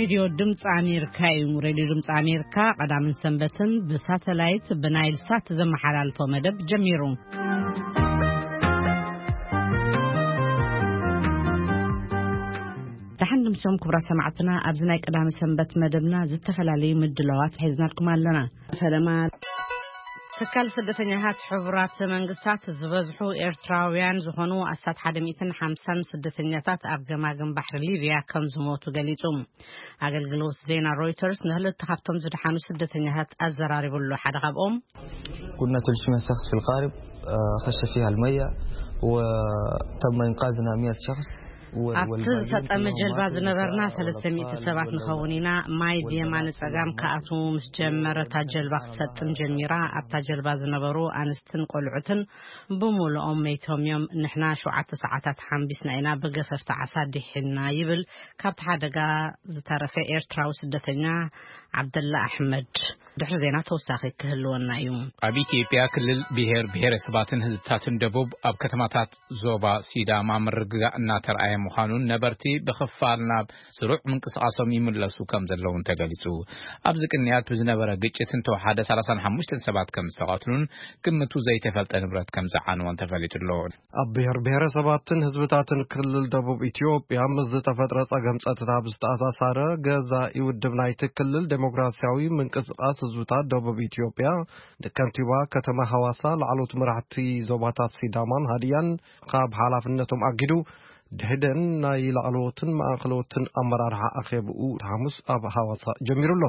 ሬድዮ ድምፂ ኣሜሪካ እዩ። ሬድዮ ድምፂ ኣሜሪካ ቀዳምን ሰንበትን ብሳተላይት ብናይል ሳት ዘመሓላልፎ መደብ ጀሚሩ። ደሓን ድምሶም ክቡራት ሰማዕትና፣ ኣብዚ ናይ ቀዳሚ ሰንበት መደብና ዝተፈላለዩ ምድላዋት ሒዝናልኩም ኣለና። ፈለማ ትካል ስደተኛታት ሕቡራት መንግስታት ዝበዝሑ ኤርትራውያን ዝኾኑ ኣስታት ሓደ ሚእትን ሓምሳን ስደተኛታት ኣብ ገማግም ባሕሪ ሊብያ ከም ዝሞቱ ገሊጹ። ኣገልግሎት ዜና ሮይተርስ ንክልተ ካብቶም ዝደሓኑ ስደተኛታት ኣዘራሪቡ ኣሎ። ሓደ ካብኦም كنا ثلاثمية شخص في القارب، آه، خش فيها المية وتم إنقاذنا مية شخص. و-، ኣብቲ والباقيين ዝሰጠመ كلهم ጀልባ ماتوا ዝነበርና بالساعة ሰለስተ ሚእቲ والأطفال ሰባት ንኸውን ኢና። ማይ والبنات ብየማነ ጸጋም كلهم ከኣትዉ ምስ ጀመረ እታ ጀልባ ክትሰጥም ጀሚራ። ኣብታ ጀልባ ዝነበሩ ኣንስትን ቆልዑትን ብምሉኦም መይቶም እዮም። ንሕና ሸውዓተ ሰዓታት ሓምቢስና ኢና ብገፈፍቲ ዓሳ ድሒንና ይብል ካብቲ ሓደጋ ዝተረፈ ኤርትራዊ ስደተኛ ዓብደላ ኣሕመድ። ድሕሪ ዜና ተወሳኺ ክህልወና እዩ። ኣብ ኢትዮጵያ ክልል ብሔር ብሔረሰባትን ህዝብታትን ደቡብ ኣብ ከተማታት ዞባ ሲዳማ ምርግጋእ እናተርኣየ ምዃኑን ነበርቲ ብኽፋል ናብ ስሩዕ ምንቅስቓሶም ይምለሱ ከም ዘለውን ተገሊጹ። ኣብዚ ቅንያት ብዝነበረ ግጭት እንተወሓደ ሰላሳን ሓሙሽተን ሰባት ከም ዝተቐትሉን ግምቱ ዘይተፈልጠ ንብረት ከም ዝዓነወን ተፈሊጡ ኣሎ። ኣብ ብሔር ብሔረሰባትን ህዝብታትን ክልል ደቡብ ኢትዮጵያ ምስ ዝተፈጥረ ጸገም ጸጥታ ብዝተኣሳሰረ ገዛኢ ውድብ ናይቲ ክልል ዴሞክራሲያዊ ምንቅስቓስ ህዝብታት ደቡብ ኢትዮጵያ ንከንቲባ ከተማ ሃዋሳ ላዕሎት መራሕቲ ዞባታት ሲዳማን ሃዲያን ካብ ሓላፍነቶም ኣጊዱ ድሕደን ናይ ላዕለዎትን ማእኸለዎትን ኣመራርሓ ኣኼብኡ ሓሙስ ኣብ ሃዋሳ ጀሚሩ ኣሎ።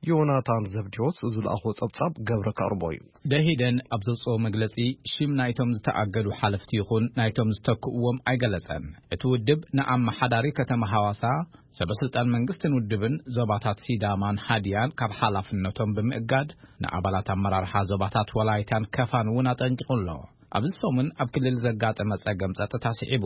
ዮናታን ዘብዲዎስ ዝለኣኾ ጸብጻብ ገብረ ከቕርቦ እዩ። ደሂደን ኣብ ዘውጽኦ መግለጺ ሽም ናይቶም ዝተኣገዱ ሓለፍቲ ይኹን ናይቶም ዝተክእዎም ኣይገለጸን። እቲ ውድብ ንኣመሓዳሪ ከተማ ሃዋሳ፣ ሰበስልጣን መንግስትን ውድብን ዞባታት ሲዳማን ሃዲያን ካብ ሓላፍነቶም ብምእጋድ ንኣባላት ኣመራርሓ ዞባታት ወላይታን ከፋን እውን ኣጠንቂቑ ኣሎ። ኣብዚ ሰሙን ኣብ ክልል ዘጋጠመ ጸገም ጸጥታ ስዒቡ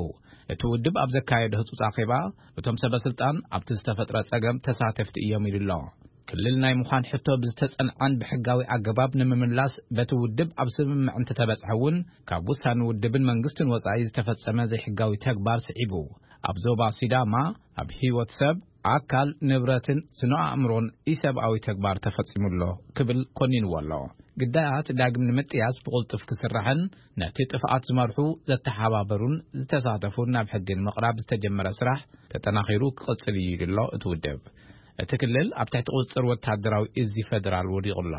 እቲ ውድብ ኣብ ዘካየዶ ህጹጽ ኣኼባ እቶም ሰበስልጣን ኣብቲ ዝተፈጥረ ጸገም ተሳተፍቲ እዮም ኢሉ ኣሎ። ክልል ናይ ምዃን ሕቶ ብዝተጸንዓን ብሕጋዊ ኣገባብ ንምምላስ በቲ ውድብ ኣብ ስምምዕ እንተተበጽሐ እውን ካብ ውሳኔ ውድብን መንግስትን ወጻኢ ዝተፈጸመ ዘይሕጋዊ ተግባር ስዒቡ ኣብ ዞባ ሲዳማ ኣብ ህይወት ሰብ፣ ኣካል፣ ንብረትን ስነ ኣእምሮን ኢሰብኣዊ ተግባር ተፈጺሙ ኣሎ ክብል ኮኒንዎ ኣሎ። ግዳያት ዳግም ንምጥያስ ብቕልጡፍ ክስራሕን ነቲ ጥፍኣት ዝመርሑ ዘተሓባበሩን ዝተሳተፉን ናብ ሕጊ ንምቕራብ ዝተጀመረ ስራሕ ተጠናኺሩ ክቕጽል እዩ ኢሉ ኣሎ እቲ ውድብ። እቲ ክልል ኣብ ትሕቲ ቁጽጽር ወታደራዊ እዚ ፈደራል ወዲቑ ኣሎ።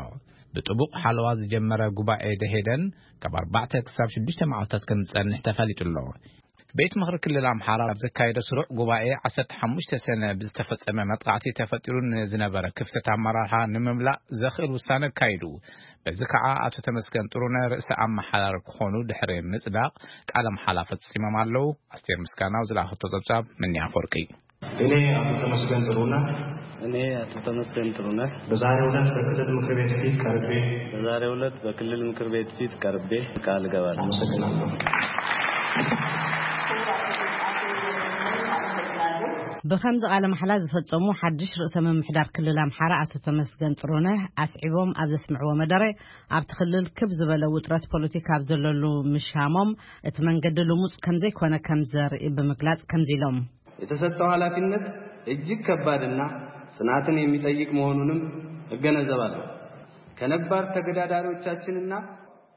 ብጥቡቕ ሓለዋ ዝጀመረ ጉባኤ ደሄደን ካብ ኣርባዕተ ክሳብ ሽዱሽተ መዓልታት ከም ዝጸንሕ ተፈሊጡ ኣሎ። ቤት ምኽሪ ክልል ኣምሓራ ኣብ ዘካየደ ስሩዕ ጉባኤ ዓሰርተ ሓሙሽተ ሰነ ብዝተፈጸመ መጥቃዕቲ ተፈጢሩ ንዝነበረ ክፍተት ኣመራርሓ ንምምላእ ዘኽእል ውሳነ ኣካይዱ። በዚ ከዓ ኣቶ ተመስገን ጥሩነ ርእሰ ኣመሓዳሪ ክኾኑ ድሕሪ ምጽዳቕ ቃለ መሓላ ፈጺሞም ኣለዉ። ኣስቴር ምስጋናው ዝለኣኸቶ ጸብጻብ ምንያ ኣፈወርቂ። እኔ አቶ ተመስገን ጥሩነህ እኔ አቶ ተመስገን ጥሩነህ በዛሬው ዕለት በክልል ምክር ቤት ፊት ቀርቤ በዛሬው ዕለት በክልል ምክር ቤት ፊት ቀርቤ ቃል እገባለሁ። አመሰግናለሁ። ብኸምዚ ቃለ መሓላ ዝፈጸሙ ሓድሽ ርእሰ ምምሕዳር ክልል ኣምሓራ ኣቶ ተመስገን ጥሩነህ ኣስዒቦም ኣብ ዘስምዕዎ መደረ፣ ኣብቲ ክልል ክብ ዝበለ ውጥረት ፖለቲካ ኣብ ዘለሉ ምሻሞም፣ እቲ መንገዲ ልሙጽ ከምዘይኮነ ከም ዘርኢ ብምግላጽ ከምዚ ኢሎም። የተሰጠው ኃላፊነት እጅግ ከባድና ጽናትን የሚጠይቅ መሆኑንም እገነዘባለሁ። ከነባር ተገዳዳሪዎቻችንና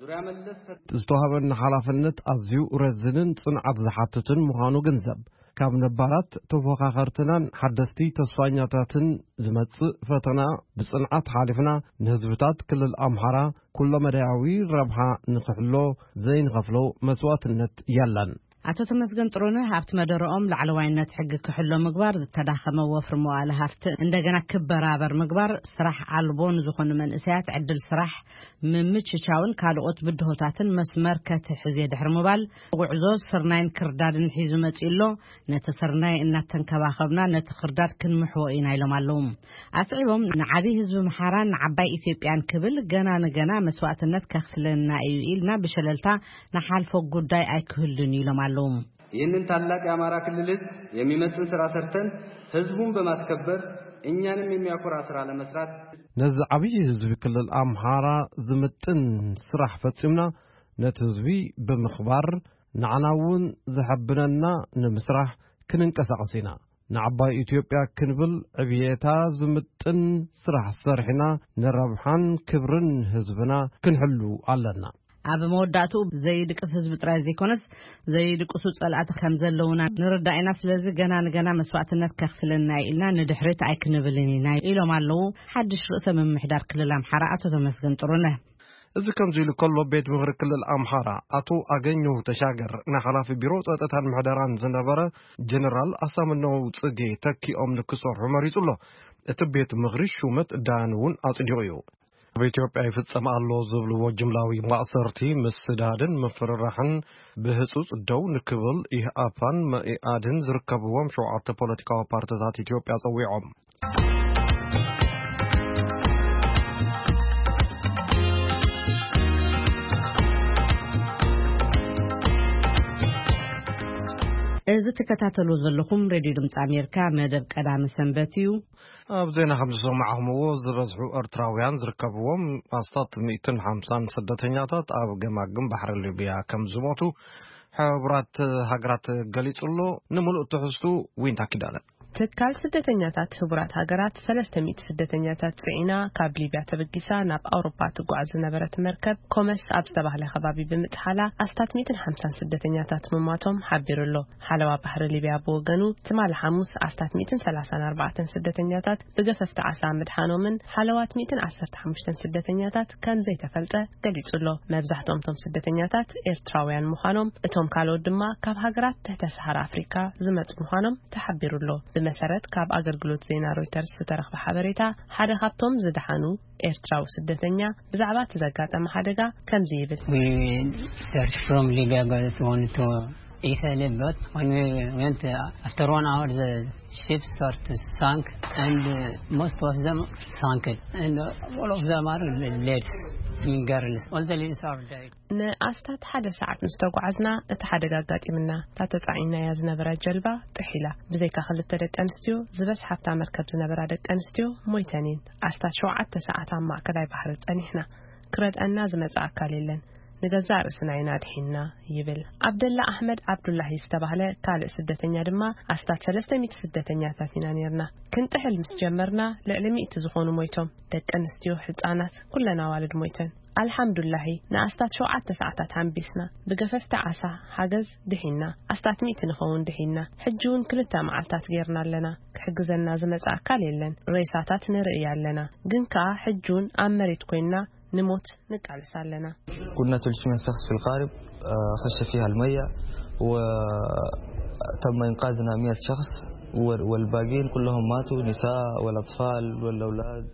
ዙሪያ መለስ ፈት- ዝተዋህበና ሓላፍነት ኣዝዩ ረዝንን ጽንዓት ዝሓትትን ምዃኑ ግንዘብ። ካብ ነባራት ተፎኻኸርትናን ሓደስቲ ተስፋኛታትን ዝመጽእ ፈተና ብጽንዓት ሓሊፍና፣ ንህዝብታት ክልል ኣምሓራ ኩለመዳያዊ ረብሓ ንኽሕሎ ዘይንኸፍሎ መስዋዕትነት የለን። ኣቶ ተመስገን ጥሩነህ ኣብቲ መደረኦም ላዕለዋይነት ሕጊ ክሕሎ ምግባር፣ ዝተዳኸመ ወፍሪ መዋእለ ሃፍቲ እንደገና ክበራበር ምግባር፣ ስራሕ ኣልቦ ንዝኾኑ መንእሰያት ዕድል ስራሕ ምምችቻውን ካልኦት ብድሆታትን መስመር ከትሕዝ እየ ድሕሪ ምባል፣ ጉዕዞ ስርናይን ክርዳድን ሒዙ መጺኡ ኣሎ። ነቲ ስርናይ እናተንከባኸብና ነቲ ክርዳድ ክንምሕዎ ኢና ኢሎም ኣለዉ። ኣስዒቦም ንዓብዪ ህዝቢ ኣምሓራን ንዓባይ ኢትዮጵያን ክብል ገና ንገና መስዋእትነት ከኽፍለና እዩ ኢልና ብሸለልታ ንሓልፎ ጉዳይ ኣይክህሉን እዩ ኢሎም ኣለዉ። ይህንን ታላቅ የአማራ ክልል ህዝብ የሚመጥን ስራ ሰርተን ህዝቡን በማስከበር እኛንም የሚያኮራ ስራ ለመስራት ነዚ ዓብዪ ህዝቢ ክልል ኣምሓራ ዝምጥን ስራሕ ፈጺምና ነቲ ህዝቢ ብምኽባር ንዓና እውን ዘሐብነና ንምስራሕ ክንንቀሳቐስ ኢና። ንዓባይ ኢትዮጵያ ክንብል ዕብየታ ዝምጥን ስራሕ ሰርሕና ንረብሓን ክብርን ህዝብና ክንሕሉ ኣለና። ኣብ መወዳእትኡ ዘይድቅስ ህዝቢ ጥራይ ዘይኮነስ ዘይድቅሱ ጸላእቲ ከም ዘለውና ንርዳእ ኢና። ስለዚ ገና ንገና መስዋዕትነት ከኽፍለና እዩ ኢልና ንድሕሪት ኣይክንብልን ኢና ኢሎም ኣለዉ ሓድሽ ርእሰ ምምሕዳር ክልል ኣምሓራ ኣቶ ተመስገን ጥሩነህ። እዚ ከምዚ ኢሉ ከሎ ቤት ምኽሪ ክልል ኣምሓራ ኣቶ ኣገኘሁ ተሻገር ንሓላፊ ቢሮ ጸጥታን ምሕደራን ዝነበረ ጀነራል ኣሳምነው ጽጌ ተኪኦም ንክሰርሑ መሪጹ ኣሎ። እቲ ቤት ምኽሪ ሹመት ዳያን እውን ኣጽዲቑ እዩ። ኣብ ኢትዮጵያ ይፍጸም ኣሎ ዝብልዎ ጅምላዊ ማእሰርቲ፣ ምስዳድን ምፍርራሕን ብህጹጽ ደው ንክብል ኢህኣፓን መኢኣድን ዝርከብዎም ሸውዓተ ፖለቲካዊ ፓርትታት ኢትዮጵያ ጸዊዖም። እዚ ትከታተሉ ዘለኹም ሬድዮ ድምፂ ኣሜሪካ መደብ ቀዳመ ሰንበት እዩ። ኣብ ዜና ከም ዝሰማዕኹምዎ፣ ዝበዝሑ ኤርትራውያን ዝርከብዎም ኣስታት ሚእትን ሓምሳን ስደተኛታት ኣብ ገማግም ባሕሪ ሊብያ ከም ዝሞቱ ሕቡራት ሃገራት ገሊጹ ኣሎ። ንምሉእ ትሕዝቱ ዊንታ ኪዳነ። ትካል ስደተኛታት ህቡራት ሃገራት ሰለስተ ሚእቲ ስደተኛታት ጽዒና ካብ ሊብያ ተበጊሳ ናብ ኣውሮፓ ትጓዓዝ ዝነበረት መርከብ ኮመስ ኣብ ዝተባህለ ከባቢ ብምጥሓላ ኣስታት ሚእትን ሓምሳን ስደተኛታት ምሟቶም ሓቢሩ ኣሎ። ሓለዋ ባሕሪ ሊብያ ብወገኑ ትማሊ ሓሙስ ኣስታት ሚእትን ሰላሳን ኣርባዕተን ስደተኛታት ብገፈፍቲ ዓሳ ምድሓኖምን ሓለዋት ሚእትን ዓሰርተ ሓሙሽተን ስደተኛታት ከም ዘይተፈልጠ ገሊጹ ኣሎ። መብዛሕትኦም እቶም ስደተኛታት ኤርትራውያን ምዃኖም፣ እቶም ካልኦት ድማ ካብ ሃገራት ትሕተ ሰሃራ ኣፍሪካ ዝመጹ ምዃኖም ተሓቢሩ ኣሎ። ብመሰረት ካብ ኣገልግሎት ዜና ሮይተርስ ዝተረኽበ ሓበሬታ፣ ሓደ ካብቶም ዝደሓኑ ኤርትራዊ ስደተኛ ብዛዕባ እቲ ዘጋጠመ ሓደጋ ከምዚ ይብል። We searched from Libya, got wanted to Italy, but when we went, uh, after one hour, the ships start to sink, and, uh, most of them sunk, and, uh, all of them are leads, I mean, girls. All the leads are dead. ንኣስታት ሓደ ሰዓት ምስ ተጓዓዝና፣ እቲ ሓደጋ ኣጋጢምና። እታ ተጻዒናያ ዝነበራ ጀልባ ጥሒላ። ብዘይካ ክልተ ደቂ ኣንስትዮ፣ ዝበዝሓ ኣብታ መርከብ ዝነበራ ደቂ ኣንስትዮ ሞይተን እየን። ኣስታት ሸውዓተ ሰዓት ኣብ ማእከላይ ባሕሪ ጸኒሕና። ክረድኣና ዝመጸ ኣካል የለን። ንገዛእ ርእስና ኢና ድሒንና፣ ይብል። ኣብደላ ኣሕመድ ዓብዱላሂ ዝተባህለ ካልእ ስደተኛ ድማ፣ ኣስታት ሰለስተ ሚእቲ ስደተኛታት ኢና ኔርና። ክንጥሕል ምስ ጀመርና፣ ልዕሊ ሚእቲ ዝኾኑ ሞይቶም። ደቂ ኣንስትዮ፣ ህጻናት፣ ኩለን ኣዋልድ ሞይተን። ኣልሓምዱላሂ፣ ንኣስታት ሸውዓተ ሰዓታት ኣንቢስና። ብገፈፍቲ ዓሳ ሓገዝ ድሒንና። ኣስታት ሚእቲ ንኸውን ድሒንና። ሕጂ እውን ክልተ መዓልታት ጌርና ኣለና። ክሕግዘና ዝመጽእ ኣካል የለን። ሬሳታት ንርኢ ኣለና። ግን ከኣ ሕጂ እውን ኣብ መሬት ኮይንና ንሞት ንቃለስ ኣለና። قلنا ثلاثمية شخص في القارب، آه، خش فيها المية، وتم إنقاذنا مية شخص، وال-، والباقيين كلهم ماتوا، نساء والأطفال والأولاد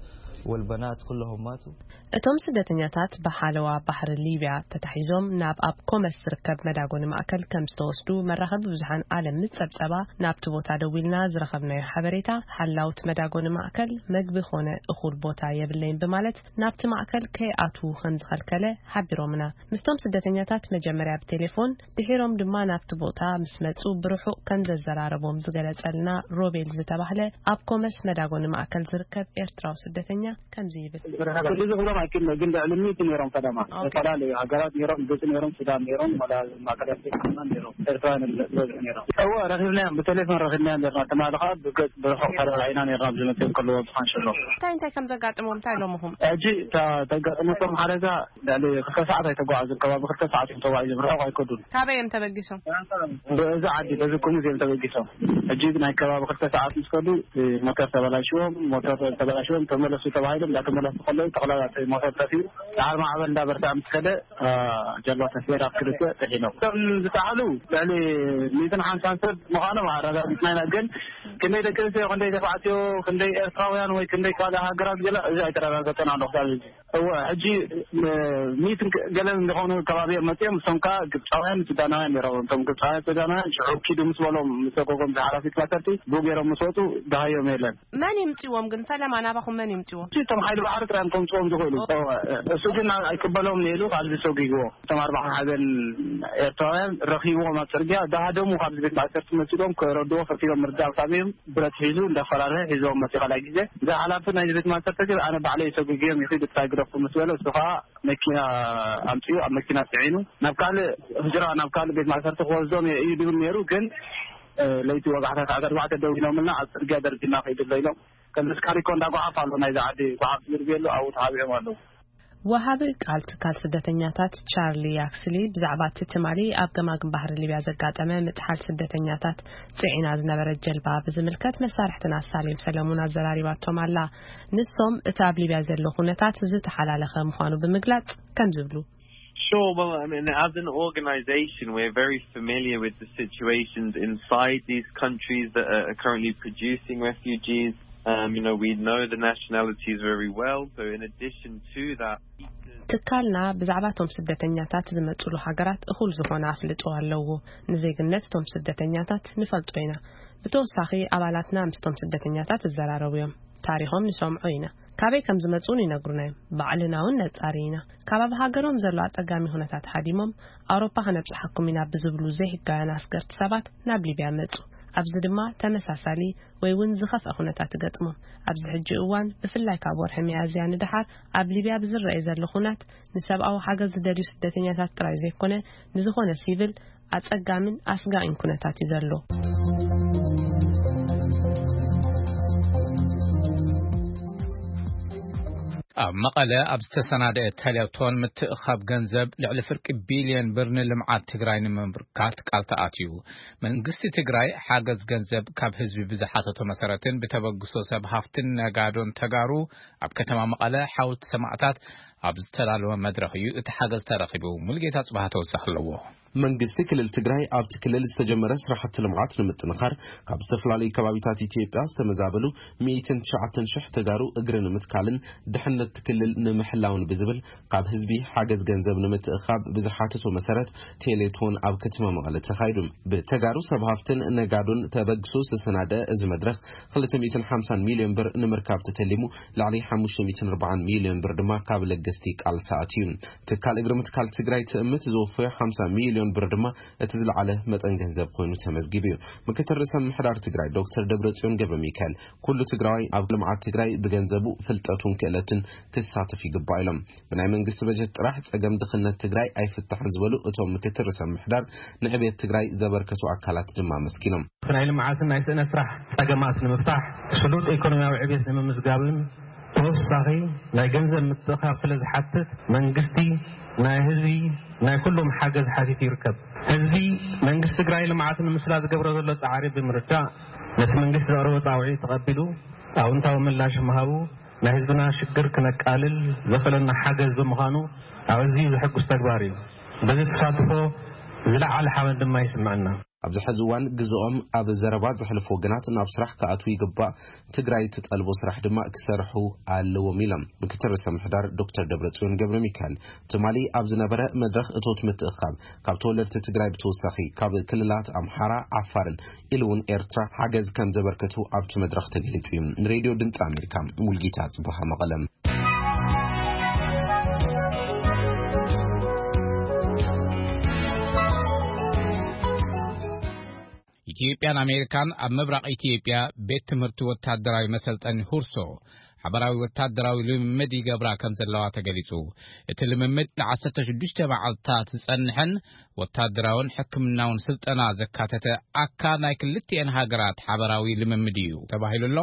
والبنات كلهم ماتوا. እቶም ስደተኛታት ብሓለዋ ባሕሪ ሊብያ ተታሒዞም ናብ ኣብ ኮመስ ዝርከብ መዳጎኒ ማእከል ከም ዝተወስዱ መራኸቢ ብዙሓን ዓለም ምስ ጸብጸባ፣ ናብቲ ቦታ ደዊልና ዝረኸብናዮ ሓበሬታ፣ ሓላውት መዳጎኒ ማእከል መግቢ ኾነ እኹል ቦታ የብለይን ብማለት ናብቲ ማእከል ከይኣትዉ ከም ዝኸልከለ ሓቢሮምና። ምስቶም ስደተኛታት መጀመርያ ብቴሌፎን፣ ድሒሮም ድማ ናብቲ ቦታ ምስ መጹ ብርሑቕ ከም ዘዘራረቦም ዝገለጸልና ሮቤል ዝተባህለ ኣብ ኮመስ መዳጎኒ ማእከል ዝርከብ ኤርትራዊ ስደተኛ ከምዚ ይብል። ክልል ዝኽሎም ኣይክልም፣ ግን ልዕሊ ሚእቲ ነይሮም ፈለማ። ኦኬ። ዝተፈላለዩ ሃገራት ነይሮም፣ ግብጺ ነይሮም፣ ሱዳን ነይሮም፣ ወላ ማእከል ኣፍሪቃ ድማ ነይሮም። ኤርትራውያን ዝበዝሑ ነይሮም። እወ፣ ረኺብናዮም፣ ብቴሌፎን ረኺብናዮም ነርና። ትማሊ ኸኣ ብገጽ ብርሑቕ ተረዳኢና ነርና፣ ኣብዚ መጺኦም ከለዉ ኣብ ካንሸሎ። እንታይ እንታይ ከም ዘጋጥሞም እንታይ ኢሎምኹም? ሕጂ እታ ተጋጠመቶም ሓደጋ ልዕሊ ክልተ ሰዓት ኣይተጓዓዙን፣ ከባቢ ክልተ ሰዓት እዮም ተጓዒዞም፣ ርሑቕ ኣይከዱን። ካበይ እዮም ተበጊሶም? በዚ ዓዲ፣ በዚ ኩሙዝ እዮም ተበጊሶም። ሕጂ ናይ ከባቢ ክልተ ሰዓት ምስ ከዱ፣ እ፣ ሞተር ተበላሽዎም፣ ሞተር ተበላሽዎም ተመለሱ ተባሂሎም፣ እንዳተመለሱ ከለዉ፣ ጠቕላላ እቲ ሞተር ጠፊኡ፣ ዳሕሪ ማዕበል እንዳበርትዐ ምስ ከደ፣ እ፣ ጀልባ ተሰይራ ክልተ ጥሒሎም። እቶም ዝጠሓሉ ልዕሊ ሚእትን ሓምሳን ሰብ ምዃኖም ኣረጋጊጽና ኢና፣ ግን ክንደይ ደቂ ኣንስትዮ፣ ክንደይ ተባዕትዮ፣ ክንደይ ኤርትራውያን ወይ ክንደይ ካልእ ሃገራት ገለ፣ እዚ ኣይተረጋገጸን ኣሎ ክሳብ ሕጂ። እወ፣ ሕጂ ም-፣ ሚእትን ገለን ዝኾኑ ከባቢ እዮም መጺኦም። እሶም ከኣ ግብጻውያን፣ ሱዳናውያን ነይሮም። እቶም ግብጻውያን፣ ሱዳናውያን ሽዑ ኪዱ ምስ በሎም፣ ምስ ሰጎጎም፣ ዝሓላፊት ማሰርቲ ብኡ ገይሮም ምስ ወጹ፣ ደሃዮም የለን። መን ይምጽዎም ግን? ፈለማ ናባኹም መን ይምጽዎም? እቶም ሓይሊ ባሕሪ ጥራይ እዮም ከምጽዎም ዝኽእሉ። እወ፣ እሱ ግን ኣይቅበሎም ነይሩ፣ ካብዚ ሰጒግዎ። እቶም ኣርባዓ ሓዘን ኤርትራውያን ረኺብዎም ኣብ ጽርግያ፣ ደሃደሙ ካብዚ ቤት ማእሰርቲ መጺኦም፣ ክረድዎ ፈቲኖም ምርዳእ ሳሚዮም። ብረት ሒዙ እንዳፈራርሀ ሒዞም መፂኡ። ካልኣይ ግዜ እዛ ሓላፊ ናይ ቤት ማእሰርቲ ግን ኣነ ባዕለይ ሰጉግዮም ይኺድ እታ ግደፉ ምስ በለ እሱ ከዓ መኪና ኣምፂኡ ኣብ መኪና ፅዒኑ ናብ ካልእ ህጅራ ናብ ካልእ ቤት ማእሰርቲ ክወስዶም እየ እዩ ድብል ነይሩ። ግን ለይቲ ወጋሕታ ሰዓት ኣርባዕተ ደው ኢሎምና፣ ኣብ ጽርግያ ደርጊና ከይዱ ኣሎ ኢሎም። ከምዚ ስካሪኮ እንዳ ጓሓፍ ኣሎ፣ ናይዚ ዓዲ ጓሓፍ ዝርግየሉ ኣብኡ ተሓቢኦም ኣለዉ። ወሃቢ ቃል ትካል ስደተኛታት ቻርሊ ያክስሊ ብዛዕባ እቲ ትማሊ ኣብ ገማግም ባሕሪ ሊብያ ዘጋጠመ ምጥሓል ስደተኛታት ጽዒና ዝነበረት ጀልባ ብዝምልከት መሳርሕትና ሳሌም ሰለሙን ኣዘራሪባቶም ኣላ። ንሶም እቲ ኣብ ሊብያ ዘሎ ኩነታት ዝተሓላለኸ ምዃኑ ብምግላጽ ከም ዝብሉ። Sure, well, I mean, as an organization, we're very familiar with the situations inside these countries that are currently producing refugees. Um, you know, we know the nationalities very well. So in addition to that, ትካልና ብዛዕባ እቶም ስደተኛታት ዝመጽሉ ሃገራት እኹል ዝኾነ ኣፍልጦ ኣለዎ። ንዜግነት እቶም ስደተኛታት ንፈልጦ ኢና። ብተወሳኺ ኣባላትና ምስቶም ስደተኛታት ይዘራረቡ እዮም። ታሪኾም ንሰምዖ ኢና። ካበይ ከም ዝመጹን ይነግሩና እዮም። ባዕልና እውን ነጻሪ ኢና። ካብ ኣብ ሃገሮም ዘሎ ኣጸጋሚ ኩነታት ሃዲሞም ኣውሮፓ ከነብጽሓኩም ኢና ብዝብሉ ዘይህጋውያን ኣስገርቲ ሰባት ናብ ሊብያ መጹ። ኣብዚ ድማ ተመሳሳሊ ወይ እውን ዝኸፍአ ኩነታት ይገጥሞም። ኣብዚ ሕጂ እዋን ብፍላይ ካብ ወርሒ ሚያዝያ ንደሓር ኣብ ሊብያ ብዝረኣይ ዘሎ ኩናት ንሰብኣዊ ሓገዝ ዝደልዩ ስደተኛታት ጥራይ ዘይኮነ ንዝኾነ ሲቪል ኣጸጋምን ኣስጋኢን ኩነታት እዩ ዘሎ። ኣብ መቐለ ኣብ ዝተሰናደአ ቴሌቶን ምትእኻብ ገንዘብ ልዕሊ ፍርቂ ቢልዮን ብር ንልምዓት ትግራይ ንምምርካት ቃል ተኣትዩ። መንግስቲ ትግራይ ሓገዝ ገንዘብ ካብ ህዝቢ ብዝሓተቶ መሰረትን ብተበግሶ ሰብ ሃፍትን ነጋዶን ተጋሩ ኣብ ከተማ መቐለ ሓወልቲ ሰማዕታት ኣብ ዝተዳለወ መድረኽ እዩ እቲ ሓገዝ ተረኺቡ። ሙሉጌታ ጽባህ ተወሳኺ ኣለዎ። መንግስቲ ክልል ትግራይ ኣብቲ ክልል ዝተጀመረ ስራሕቲ ልምዓት ንምጥንኻር ካብ ዝተፈላለዩ ከባቢታት ኢትዮጵያ ዝተመዛበሉ ሚእትን ትሽዓተን ሽሕ ተጋሩ እግሪ ንምትካልን ድሕነት ክልል ንምሕላውን ብዝብል ካብ ህዝቢ ሓገዝ ገንዘብ ንምትእኻብ ብዝሓተቶ መሰረት ቴሌቶን ኣብ ከተማ መቐለ ተኻይዱ። ብተጋሩ ሰብ ሃፍትን ነጋዶን ተበግሶ ዝተሰናደ እዚ መድረኽ ክልተ ሚእትን ሓምሳን ሚልዮን ብር ንምርካብ ተተሊሙ ልዕሊ ሓሙሽተ ሚእትን ኣርባዓን ሚልዮን ብር ድማ ካብ ለገስቲ ቃል ሰኣት እዩ። ትካል እግሪ ምትካል ትግራይ ትእምት ዝወፈዮ ሓምሳ ሚልዮን ብር ድማ እቲ ዝለዓለ መጠን ገንዘብ ኮይኑ ተመዝጊቡ እዩ። ምክትል ርእሰ ምሕዳር ትግራይ ዶክተር ደብረጽዮን ገብረ ሚካኤል ኩሉ ትግራዋይ ኣብ ልምዓት ትግራይ ብገንዘቡ ፍልጠቱን ክእለቱን ክሳተፍ ይግባእ ኢሎም። ብናይ መንግስቲ በጀት ጥራሕ ጸገም ድኽነት ትግራይ ኣይፍታሕን ዝበሉ እቶም ምክትል ርእሰ ምሕዳር ንዕቤት ትግራይ ዘበርከቱ ኣካላት ድማ ኣመስጊኖም። ናይ ልምዓትን ናይ ስእነት ስራሕ ጸገማት ንምፍታሕ ስሉጥ ኢኮኖሚያዊ ዕቤት ንምምዝጋብን ተወሳኺ ናይ ገንዘብ ምትእኻብ ስለ ዝሓትት መንግስቲ ናይ ህዝቢ ናይ ኩሎም ሓገዝ ሓቲቱ ይርከብ። ህዝቢ መንግስቲ ትግራይ ልምዓት ንምስላ ዝገብሮ ዘሎ ጻዕሪ ብምርዳእ ነቲ መንግስቲ ዘቕረቦ ጻውዒት ተቐቢሉ ኣውንታዊ ምላሽ ምሃቡ ናይ ህዝብና ሽግር ክነቃልል ዘኽእለና ሓገዝ ብምዃኑ ኣዝዩ ዘሐጉስ ተግባር እዩ። በዚ ተሳትፎ ዝለዓለ ሓበን ድማ ይስምዐና። ኣብዚ ሕዚ እዋን ግዝኦም ኣብ ዘረባ ዘሕልፉ ወገናት ናብ ስራሕ ክኣትዉ ይግባእ፣ ትግራይ ትጠልቦ ስራሕ ድማ ክሰርሑ ኣለዎም ኢሎም ምክትል ርእሰ ምሕዳር ዶክተር ደብረጽዮን ገብረ ሚካኤል። ትማሊ ኣብ ዝነበረ መድረኽ እቶት ምትእኻብ ካብ ተወለድቲ ትግራይ ብተወሳኺ ካብ ክልላት ኣምሓራ፣ ዓፋርን ኢሉ እውን ኤርትራ ሓገዝ ከም ዘበርከቱ ኣብቲ መድረኽ ተገሊጹ እዩ። ንሬድዮ ድምፂ ኣሜሪካ ሙልጌታ ጽቡሃ መቐለም። ኢትዮጵያን ኣሜሪካን ኣብ ምብራቕ ኢትዮጵያ ቤት ትምህርቲ ወታደራዊ መሰልጠኒ ሁርሶ ሓበራዊ ወታደራዊ ልምምድ ይገብራ ከም ዘለዋ ተገሊጹ። እቲ ልምምድ ን116 መዓልታት ዝጸንሕን ወታደራውን ሕክምናውን ስልጠና ዘካተተ ኣካል ናይ ክልቲኤን ሃገራት ሓበራዊ ልምምድ እዩ ተባሂሉ ኣሎ።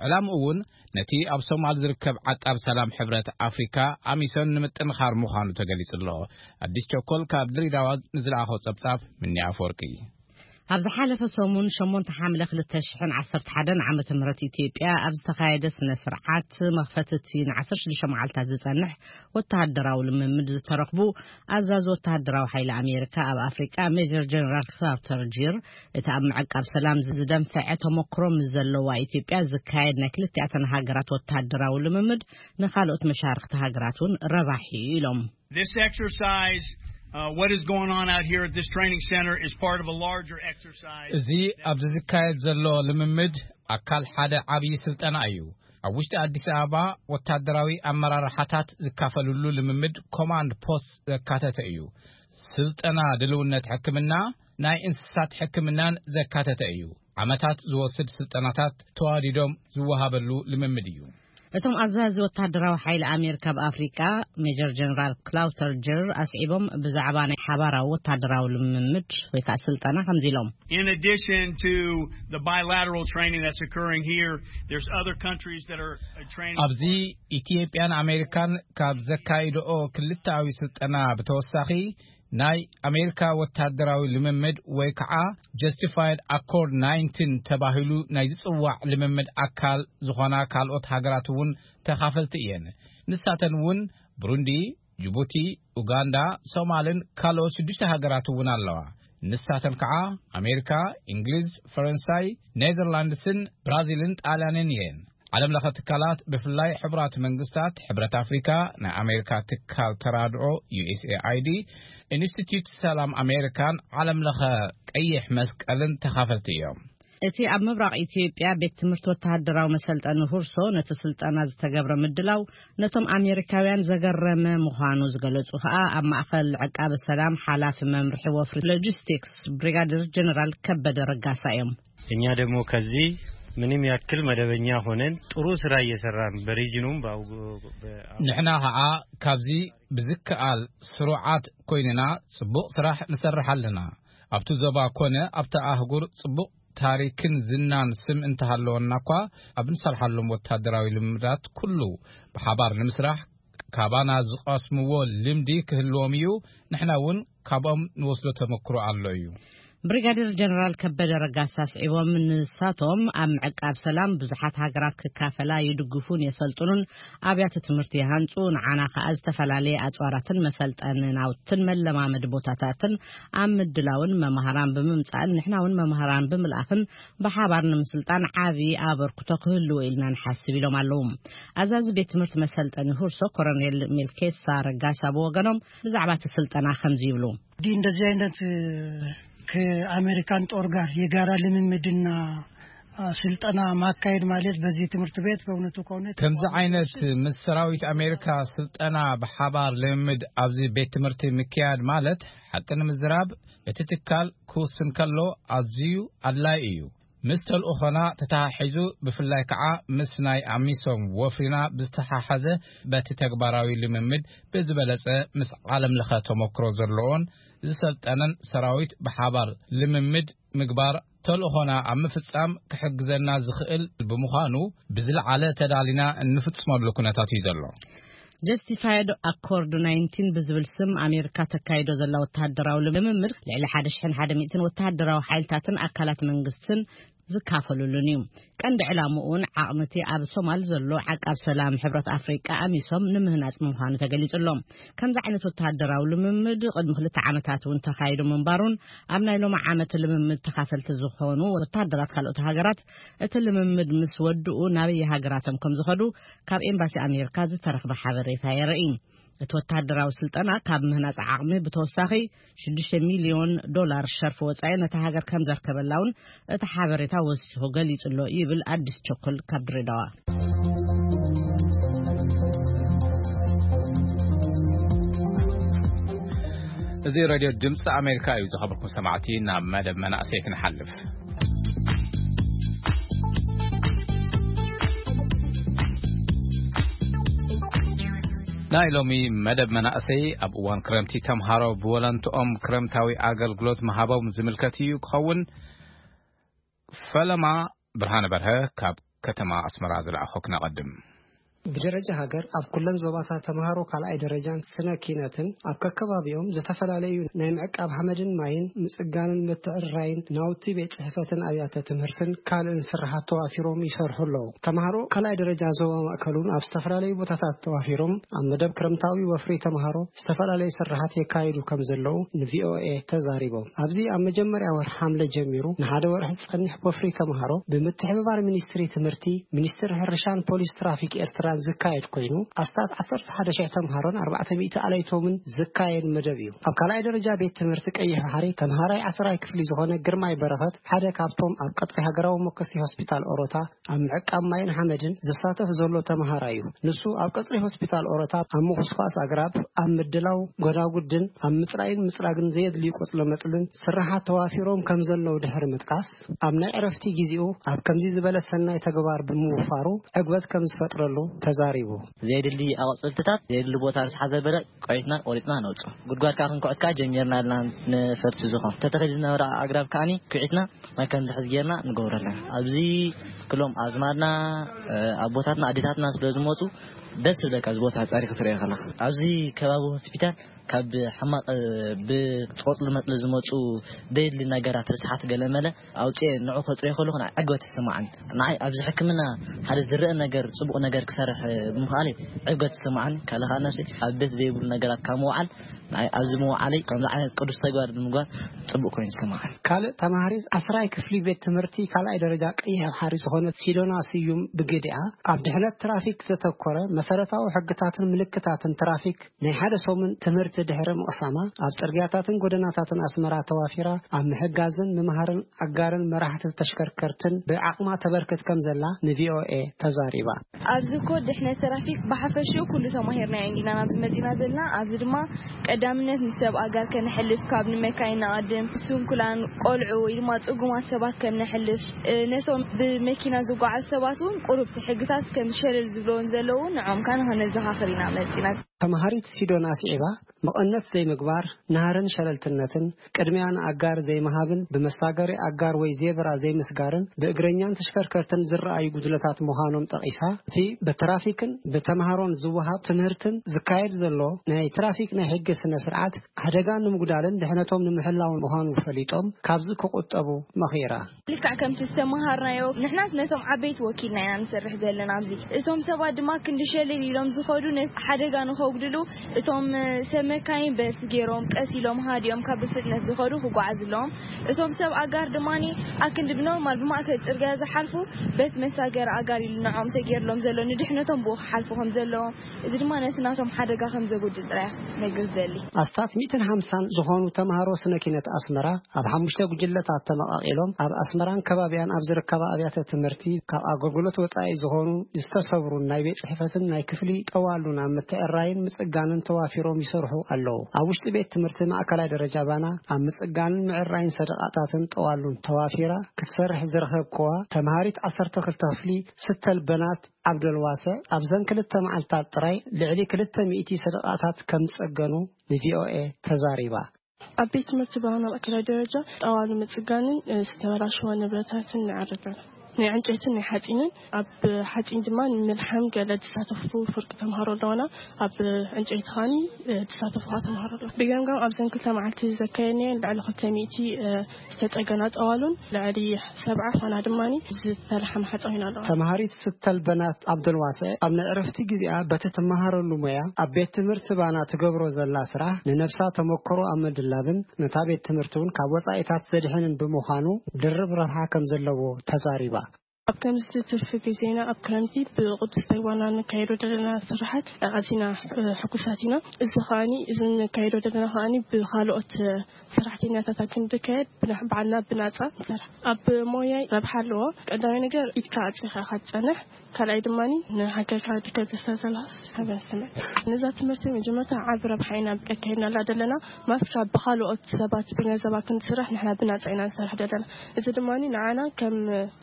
ዕላምኡ እውን ነቲ ኣብ ሶማል ዝርከብ ዓቃብ ሰላም ሕብረት ኣፍሪካ ኣሚሶን ንምጥንኻር ምዃኑ ተገሊጹ ኣሎ። ኣዲስ ቸኮል ካብ ድሬዳዋ ንዝለኣኾ ጸብጻብ ምኒ ኣፈወርቂ። ኣብ ዝሓለፈ ሰሙን ሸሞንተ ሓምለ ክልተ ሽሕን ዓሰርተ ሓደን ዓመተ ምህረት ኢትዮጵያ ኣብ ዝተኻየደ ስነ ስርዓት መኽፈቲ እቲ ን16 መዓልታት ዝጸንሕ ወተሃደራዊ ልምምድ ዝተረኽቡ ኣዛዚ ወተሃደራዊ ሓይሊ ኣሜሪካ ኣብ ኣፍሪቃ ሜጀር ጀነራል ክሳብ ተርጂር እቲ ኣብ ምዕቃብ ሰላም ዝደንፈዐ ተሞክሮ ምስ ዘለዋ ኢትዮጵያ ዝካየድ ናይ ክልቲኣተን ሃገራት ወተሃደራዊ ልምምድ ንኻልኦት መሻርክቲ ሃገራት እውን ረባሒ እዩ ኢሎም። This exercise, uh, what is going on out here at this training center is part of a larger exercise. እዚ ኣብዚ ዝካየድ ዘሎ ልምምድ ኣካል ሓደ ዓብዪ ስልጠና እዩ። ኣብ ውሽጢ ኣዲስ ኣበባ ወታደራዊ ኣመራርሓታት ዝካፈልሉ ልምምድ ኮማንድ ፖስት ዘካተተ እዩ። ስልጠና ድልውነት ሕክምና፣ ናይ እንስሳት ሕክምናን ዘካተተ እዩ። ዓመታት ዝወስድ ስልጠናታት ተዋዲዶም ዝወሃበሉ ልምምድ እዩ። እቶም ኣዛዚ ወታደራዊ ሓይሊ ኣሜሪካ ኣብ ኣፍሪቃ፣ ሜጀር ጀነራል ክላውተር ጀር፣ ኣስዒቦም ብዛዕባ ናይ ሓባራዊ ወታደራዊ ልምምድ ወይ ከዓ ስልጠና ከምዚ ኢሎም። In addition to the bilateral training that's occurring here, there's other countries that are uh, training ኣብዚ ኢትዮጵያን ኣሜሪካን ካብ ዘካይድኦ ክልተኣዊ ስልጠና ብተወሳኺ፣ ናይ ኣሜሪካ ወታደራዊ ልምምድ ወይ ከዓ ጀስቲፋይድ ኣኮርድ ናይንቲን ተባሂሉ ናይ ዝፅዋዕ ልምምድ ኣካል ዝኾና ካልኦት ሃገራት እውን ተኻፈልቲ እየን። ንሳተን እውን ብሩንዲ፣ ጅቡቲ፣ ኡጋንዳ፣ ሶማልን ካልኦት ሽዱሽተ ሃገራት እውን ኣለዋ። ንሳተን ከዓ ኣሜሪካ፣ እንግሊዝ፣ ፈረንሳይ፣ ኔዘርላንድስን ብራዚልን ጣልያንን እየን። ዓለም ለኸ ትካላት፣ ብፍላይ ሕቡራት መንግስታት፣ ሕብረት ኣፍሪካ፣ ናይ ኣሜሪካ ትካል ተራድኦ፣ ዩኤስኤኣይዲ፣ ኢንስቲትዩት ሰላም ኣሜሪካን ዓለም ለኸ ቀይሕ መስቀልን ተኻፈልቲ እዮም። እቲ ኣብ ምብራቕ ኢትዮጵያ ቤት ትምህርቲ ወተሃደራዊ መሰልጠኒ ሁርሶ ነቲ ስልጠና ዝተገብረ ምድላው ነቶም ኣሜሪካውያን ዘገረመ ምዃኑ ዝገለጹ ከኣ ኣብ ማእከል ዕቃበ ሰላም ሓላፊ መምርሒ ወፍሪ ሎጂስቲክስ ብሪጋደር ጀነራል ከበደ ረጋሳ እዮም። እኛ ደግሞ ከዚህ ምንም ያክል መደበኛ ሆነን ጥሩ ስራ እየሰራን በሪጅኑም በአውጎ- በአውጎ- ንሕና ከዓ ካብዚ ብዝከኣል ስሩዓት ኮይንና ጽቡቕ ስራሕ ንሰርሕ ኣለና። ኣብቲ ዞባ ኮነ ኣብቲ ኣህጉር ጽቡቕ ታሪክን ዝናን ስም እንተሃለወና እኳ፣ ኣብ ንሰርሓሎም ወታደራዊ ልምዳት ኩሉ ብሓባር ንምስራሕ ካባና ዝቐስምዎ ልምዲ ክህልዎም እዩ። ንሕና እውን ካብኦም ንወስዶ ተመክሮ ኣሎ እዩ። ብሪጋዴር ጀነራል ከበደ ረጋሳ ኣስዒቦም፣ ንሳቶም ኣብ ምዕቃብ ሰላም ብዙሓት ሃገራት ክካፈላ ይድግፉን የሰልጥኑን ኣብያተ ትምህርቲ ይሃንጹ፣ ንዓና ከኣ ዝተፈላለየ ኣጽዋራትን መሰልጠኒ ናውትን መለማመዲ ቦታታትን ኣብ ምድላውን መማህራን ብምምጻእን ንሕና እውን መማህራን ብምልኣኽን ብሓባር ንምስልጣን ዓቢ ኣበርክቶ ክህልዎ ኢልና ንሓስብ ኢሎም ኣለዉ። ኣዛዚ ቤት ትምህርቲ መሰልጠኒ ሁርሶ ኮሎኔል ሜልኬሳ ረጋሳ ብወገኖም ብዛዕባ እቲ ስልጠና ከምዚ ይብሉ። እንግዲህ እንደዚህ አይነት ከአሜሪካን ጦር ጋር የጋራ ልምምድና ስልጠና ማካሄድ ማለት በዚህ ትምህርት ቤት በእውነቱ ከሆነ ከምዚ ዓይነት ምስ ሰራዊት ኣሜሪካ ስልጠና ብሓባር ልምምድ ኣብዚ ቤት ትምህርቲ ምክያድ ማለት፣ ሓቂ ንምዝራብ፣ እቲ ትካል ክውስን ከሎ ኣዝዩ ኣድላይ እዩ። ምስ ተልእኾና ተተሓሒዙ፣ ብፍላይ ከዓ ምስ ናይ ኣሚሶም ወፍሪና ብዝተሓሓዘ፣ በቲ ተግባራዊ ልምምድ ብዝበለጸ ምስ ዓለም ለኸ ተመክሮ ዘለዎን ዝሰልጠነን ሰራዊት ብሓባር ልምምድ ምግባር ተልእኾና ኣብ ምፍጻም ክሕግዘና ዝኽእል ብምዃኑ፣ ብዝለዓለ ተዳሊና እንፍጽመሉ ኩነታት እዩ ዘሎ። ጀስቲፋይድ ኣኮርድ ናይንቲን ብዝብል ስም ኣሜሪካ ተካይዶ ዘላ ወተሃደራዊ ልምምድ፣ ልዕሊ ሓደ ሽሕን ሓደ ሚእትን ወተሃደራዊ ሓይልታትን ኣካላት መንግስትን ዝካፈሉሉን እዩ። ቀንዲ ዕላምኡ እውን ዓቕሚ እቲ ኣብ ሶማል ዘሎ ዓቃብ ሰላም ሕብረት ኣፍሪቃ ኣሚሶም ንምህናጽ ምዃኑ ተገሊጹ ኣሎ። ከምዚ ዓይነት ወተሃደራዊ ልምምድ ቅድሚ ክልተ ዓመታት እውን ተኻይዱ ምንባሩን፣ ኣብ ናይ ሎሚ ዓመት ልምምድ ተኻፈልቲ ዝኾኑ ወተሃደራት ካልኦት ሃገራት እቲ ልምምድ ምስ ወድኡ ናበይ ሃገራቶም ከም ዝኸዱ ካብ ኤምባሲ ኣሜሪካ ዝተረኽበ ሓበሬታ የርኢ። እቲ ወተሃደራዊ ስልጠና ካብ ምህናጽ ዓቕሚ ብተወሳኺ ሽዱሽተ ሚልዮን ዶላር ሸርፊ ወጻኢ ነታ ሃገር ከም ዘርከበላ እውን እቲ ሓበሬታ ወሲኹ ገሊጹ ኣሎ ይብል ኣዲስ ቸኮል ካብ ድሬዳዋ። እዚ ሬድዮ ድምፂ ኣሜሪካ እዩ። ዝኸበርኩም ሰማዕቲ፣ ናብ መደብ መናእሰይ ክንሓልፍ። ናይ ሎሚ መደብ መናእሰይ፣ ኣብ እዋን ክረምቲ ተምሃሮ ብወለንትኦም ክረምታዊ ኣገልግሎት ምሃቦም ዝምልከት እዩ ክኸውን። ፈለማ ብርሃነ በርሀ ካብ ከተማ ኣስመራ ዝለኣኾ ክነቐድም። ብደረጃ ሃገር ኣብ ኩለን ዞባታት ተምሃሮ ካልኣይ ደረጃን ስነ ኪነትን ኣብ ከከባቢኦም ዝተፈላለዩ ናይ ምዕቃብ ሓመድን ማይን ምጽጋንን ምትዕርራይን ናውቲ ቤት ጽሕፈትን ኣብያተ ትምህርትን ካልእን ስራሓት ተዋፊሮም ይሰርሑ ኣለዉ። ተምሃሮ ካልኣይ ደረጃ ዞባ ማእከል እውን ኣብ ዝተፈላለዩ ቦታታት ተዋፊሮም ኣብ መደብ ክረምታዊ ወፍሪ ተምሃሮ ዝተፈላለዩ ስራሓት የካይዱ ከም ዘለዉ ንቪኦኤ ተዛሪቦም። ኣብዚ ኣብ መጀመርያ ወርሒ ሓምለ ጀሚሩ ንሓደ ወርሒ ዝጸንሕ ወፍሪ ተምሃሮ ብምትሕብባር ሚኒስትሪ ትምህርቲ፣ ሚኒስትሪ ሕርሻን ፖሊስ ትራፊክ ኤርትራን ዝካየድ ኮይኑ፣ ኣስታት ዓሰርተ ሓደ ሽሕ ተምሃሮን ኣርባዕተ ሚእቲ ኣለይቶምን ዝካየድ መደብ እዩ። ኣብ ካልኣይ ደረጃ ቤት ትምህርቲ ቀይሕ ባሕሪ ተምሃራይ ዓስራይ ክፍሊ ዝኾነ ግርማይ በረኸት ሓደ ካብቶም ኣብ ቀጽሪ ሃገራዊ መኮሲ ሆስፒታል ኦሮታ ኣብ ምዕቃብ ማይን ሓመድን ዝሳተፍ ዘሎ ተምሃራይ እዩ። ንሱ ኣብ ቀጽሪ ሆስፒታል ኦሮታ ኣብ ምኹስኳስ ኣግራብ፣ ኣብ ምድላው ጎዳጉድን ኣብ ምጽራይን ምጽራግን ዘየድልዩ ቆጽለ መጽልን ስራሓት ተዋፊሮም ከም ዘለዉ ድሕሪ ምጥቃስ፣ ኣብ ናይ ዕረፍቲ ግዜኡ ኣብ ከምዚ ዝበለ ሰናይ ተግባር ብምውፋሩ ዕግበት ከም ዝፈጥረሉ ተዛሪቡ። ዘየድሊ ኣቕጽልትታት ዘየድሊ ቦታ ርስ ሓዘበለ ቆይትና ቆሪጽና ነውጽ። ጉድጓድ ከዓ ክንኩዕት ከዓ ጀሚርና ኣለና። ንፈርሲ ዝኾን ተተኺል ዝነበረ ኣግራብ ከዓኒ ኩዒትና ማይ ከም ዝሕዝ ጌርና ንገብረለን። ኣብዚ ክሎም ኣዝማድና ኣቦታትና ኣዴታትና ስለ ዝመፁ ደስ ዝብለካ። እዚ ቦታ ፃሪ ክትሪኦ ከለካ ኣብዚ ከባቢ ሆስፒታል ካብ ሕማቕ ብቆፅሊ መፅሊ ዝመፁ ደይድሊ ነገራት ርስሓት ገለመለ ኣውፅኤ ንዑ ከፅርዮ ከለኹ ናይ ዕግበት ይስማዓኒ። ንዓይ ኣብዚ ሕክምና ሓደ ዝረአ ነገር ፅቡቕ ነገር ክሰርሕ ብምኽኣለይ ዕግበት ይስማዓኒ። ካልእ ከዓ ነሲ ኣብ ቤት ዘይብሉ ነገራት ካብ ምውዓል ንዓይ ኣብዚ ምውዓለይ ከምዚ ዓይነት ቅዱስ ተግባር ብምግባር ፅቡቕ ኮይኑ ይስማዓኒ። ካልእ ተማሃሪ ዓስራይ ክፍሊ ቤት ትምህርቲ ካልኣይ ደረጃ ቀይሕ ባሕሪ ዝኾነት ሲዶና ስዩም ብግዲኣ ኣብ ድሕነት ትራፊክ ዘተኮረ መሰረታዊ ሕግታትን ምልክታትን ትራፊክ ናይ ሓደ ሰሙን ትምህርቲ ድሕሪ ምቕሳማ ኣብ ጽርግያታትን ጎደናታትን ኣስመራ ተዋፊራ ኣብ ምሕጋዝን ምምሃርን ኣጋርን መራሕቲ ተሽከርከርትን ብዓቕማ ተበርክት ከም ዘላ ንቪኦኤ ተዛሪባ። ኣብዚ ኮድ ድሕነት ትራፊክ ብሓፈሽኡ ኩሉ ተማሂርና እንዲና ናብዚ መጺና ዘለና። ኣብዚ ድማ ቀዳምነት ንሰብ ኣጋር ከነሕልፍ ካብ ንመካይን ንቐድም ስንኩላን ቆልዑ ወይ ድማ ጽጉማት ሰባት ከም ነሕልፍ ነቶም ብመኪና ዝጓዓዙ ሰባት እውን ቁሩብቲ ሕግታት ከም ሸለል ዝብለውን ዘለዉ ንዖም ካን ከነዘኻኽር ኢና መጺና። ተማሃሪት ሲዶና ስዒባ መቐነት ዘይምግባር፣ ናህርን ሸለልትነትን፣ ቅድሚያ ንኣጋር ዘይምሃብን ብመሳገሪ ኣጋር ወይ ዜብራ ዘይምስጋርን ብእግረኛን ተሽከርከርትን ዝረኣዩ ጉድለታት ምዃኖም ጠቒሳ፣ እቲ ብትራፊክን ብተምሃሮን ዝወሃብ ትምህርትን ዝካየድ ዘሎ ናይ ትራፊክ ናይ ሕጊ ስነ ስርዓት ሓደጋ ንምጉዳልን ድሕነቶም ንምሕላውን ምዃኑ ፈሊጦም ካብዚ ክቑጠቡ መኺራ። ልክዕ ከምቲ ዝተመሃርናዮ ንሕናስ ነቶም ዓበይቲ ወኪልና ኢና ንሰርሕ ዘለና ኣብዚ። እቶም ሰባት ድማ ክንዲ ሸልል ኢሎም ዝኸዱ ነቲ ሓደጋ ንኸጉድሉ እቶም ሰብ መካይን በስ ገይሮም ቀስ ኢሎም ሃዲኦም ካብ ብፍጥነት ዝኸዱ ክጓዓዝ ኣለዎም። እቶም ሰብ ኣጋር ድማ ኣክንዲ ብኖርማል ብማእከል ጽርግያ ዝሓልፉ በት መሳገር ኣጋር ኢሉ ንዖም ተገይርሎም ዘሎ ንድሕነቶም ብኡ ክሓልፉ ከም ዘለዎም እዚ ድማ ነቲ ናቶም ሓደጋ ከም ዘጉድል ጥራይ ነግር ዘሊ። ኣስታት ሚእትን ሓምሳን ዝኾኑ ተምሃሮ ስነ ኪነት ኣስመራ ኣብ ሓሙሽተ ጉጅለታት ተመቓቒሎም ኣብ ኣስመራን ከባቢያን ኣብ ዝርከባ ኣብያተ ትምህርቲ ካብ ኣገልግሎት ወጻኢ ዝኾኑ ዝተሰብሩን ናይ ቤት ጽሕፈትን ናይ ክፍሊ ጠዋሉን ኣብ ምትዕራይን ምጽጋንን ተዋፊሮም ይሰርሑ ኣለዉ። ኣብ ውሽጢ ቤት ትምህርቲ ማእከላይ ደረጃ ባና ኣብ ምጽጋንን ምዕራይን ሰደቓታትን ጠዋሉን ተዋፊራ ክትሰርሕ ዝረኸብክዋ ተምሃሪት ዓሰርተ ክልተ ክፍሊ ስተል በናት ዓብደልዋሰዕ ኣብዘን ክልተ መዓልታት ጥራይ ልዕሊ ክልተ ሚእቲ ሰደቓታት ከም ዝጸገኑ ንቪኦኤ ተዛሪባ። ኣብ ቤት ትምህርቲ ባህና ማእከላይ ደረጃ ጠዋሉ ምጽጋንን ዝተበላሸወ ንብረታትን ንዓርግን ናይ ዕንጨይትን ናይ ሓጺንን ኣብ ሓጺን ድማ ንምልሓም ገለ ዝሳተፉ ፍርቂ ተምሃሮ ኣለውና። ኣብ ዕንጨይቲ ኻኒ ዝሳተፉ ተምሃሮ ኣለዉ። ብገምጋም ኣብዘን ክልተ መዓልቲ ዘካየድናየን ልዕሊ ክልተ ሚእቲ ዝተጸገና ጠዋሉን ልዕሊ ሰብዓ ፋና ድማ ዝተልሓመ ሓጻዊን ኣለዋ። ተምሃሪት ስተል በናት ኣብደልዋሰዕ ኣብ ናይ ዕረፍቲ ግዜኣ በቲ ትመሃረሉ ሞያ ኣብ ቤት ትምህርቲ ባና ትገብሮ ዘላ ስራሕ ንነብሳ ተመክሮ ኣብ ምድላብን ነታ ቤት ትምህርቲ እውን ካብ ወጻኢታት ዘድሕንን ብምዃኑ ድርብ ረብሓ ከም ዘለዎ ተዛሪባ። ኣብ ከምዚ ትርፊ ግዜና ኣብ ክረምቲ ብቕዱስ ተግባርና ንካየዶ ዘለና ስራሓት ኣዚና ሕጉሳት ኢና። እዚ ከኣኒ እዚ ንካየዶ ዘለና ከኣኒ ብኻልኦት ሰራሕተኛታት ክንድካየድ ብና- ባዕልና ብናጻ ንሰርሕ። ኣብ ሞያይ ረብሓ ኣለዎ። ቀዳማይ ነገር ኢድካ ኣጽኻ ኢኻ ትጸንሕ። ካልኣይ ድማ ንሃገርካ ድከ ተስተዘላስ ሓበን ስምዕ። ነዛ ትምህርቲ መጀመርታ ዓቢ ረብሓ ኢና ኣካይድናላ ዘለና። ማስካ ብኻልኦት ሰባት ብገንዘባ ክንስራሕ ንሕና ብናጻ ኢና ንሰርሕ ዘለና። እዚ ድማ ንዓና ከም